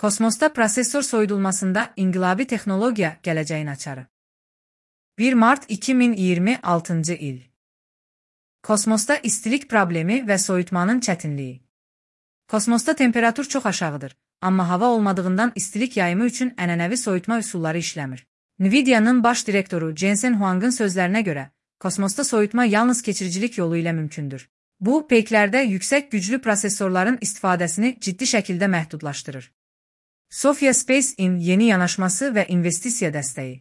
Kosmosda prosesor soyudulmasında inqilabi texnologiya gələcəyin açarı. 1 Mart 2026 il. Kosmosda istilik problemi və soyutmanın çətinliyi. Kosmosda temperatur çox aşağıdır, amma hava olmadığından istilik yayımı üçün ənənəvi soyutma üsulları işləmir. Nvidia'nın baş direktoru Jensen Huang'ın sözlərinə görə, kosmosda soyutma yalnız keçiricilik yolu ilə mümkündür. Bu, peyklərdə yüksək güclü prosesorların istifadəsini ciddi şəkildə məhdudlaşdırır. Sophia Space-in yeni yanaşması və investisiya dəstəyi.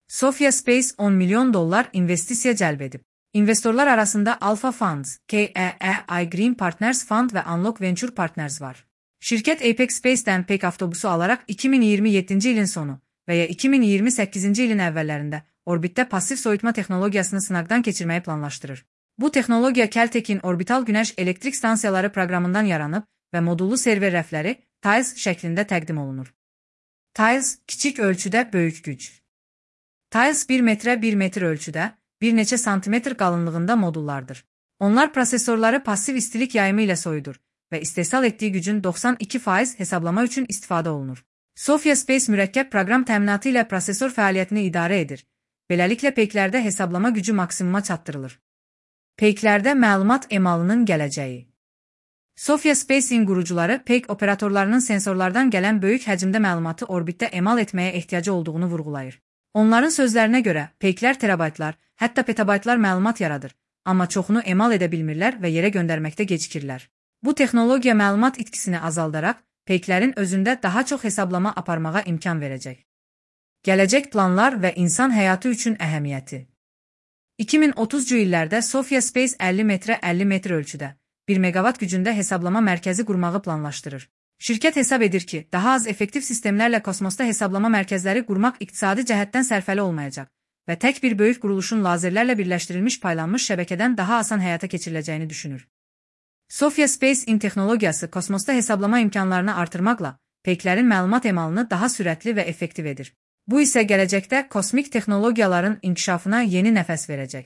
Sophia Space $10 milyon investisiya cəlb edib. İnvestorlar arasında Alpha Funds, KEEI Green Partners Fund və Unlock Venture Partners var. Şirkət Apex Space'dən peyk avtobusu alaraq 2027-ci ilin sonu və ya 2028-ci ilin əvvəllərində orbitdə passiv soyutma texnologiyasını sınaqdan keçirməyi planlaşdırır. Bu texnologiya Caltech'in orbital günəş elektrik stansiyaları proqramından yaranıb və modullu server rəfləri Tiles şəklində təqdim olunur. Tiles kiçik ölçüdə böyük güc. Tiles 1 metrə 1 metr ölçüdə, bir neçə santimetr qalınlığında modullardır. Onlar prosesorları passiv istilik yayımı ilə soyudur və istehsal etdiyi gücün 92% hesablama üçün istifadə olunur. Sophia Space mürəkkəb proqram təminatı ilə prosesor fəaliyyətini idarə edir. Beləliklə peyklərdə hesablama gücü maksimuma çatdırılır. Peyklərdə məlumat emalının gələcəyi. Sophia Space-in qurucuları peyk operatorlarının sensorlardan gələn böyük həcmdə məlumatı orbitdə emal etməyə ehtiyacı olduğunu vurğulayır. Onların sözlərinə görə, peyklər terabaytlar, hətta petabaytlar məlumat yaradır, amma çoxunu emal edə bilmirlər və yerə göndərməkdə gecikirlər. Bu texnologiya məlumat itkisini azaldaraq, peyklərin özündə daha çox hesablama aparmağa imkan verəcək. Gələcək planlar və insan həyatı üçün əhəmiyyəti. 2030-cu illərdə Sophia Space 50 metrə 50 metr ölçüdə, 1 megawatt gücündə hesablama mərkəzi qurmağı planlaşdırır. Şirkət hesab edir ki, daha az effektiv sistemlərlə kosmosda hesablama mərkəzləri qurmaq iqtisadi cəhətdən sərfəli olmayacaq və tək bir böyük quruluşun lazerlərlə birləşdirilmiş paylanmış şəbəkədən daha asan həyata keçiriləcəyini düşünür. Sophia Space-in texnologiyası kosmosda hesablama imkanlarını artırmaqla peyklərin məlumat emalını daha sürətli və effektiv edir. Bu isə gələcəkdə kosmik texnologiyaların inkişafına yeni nəfəs verəcək.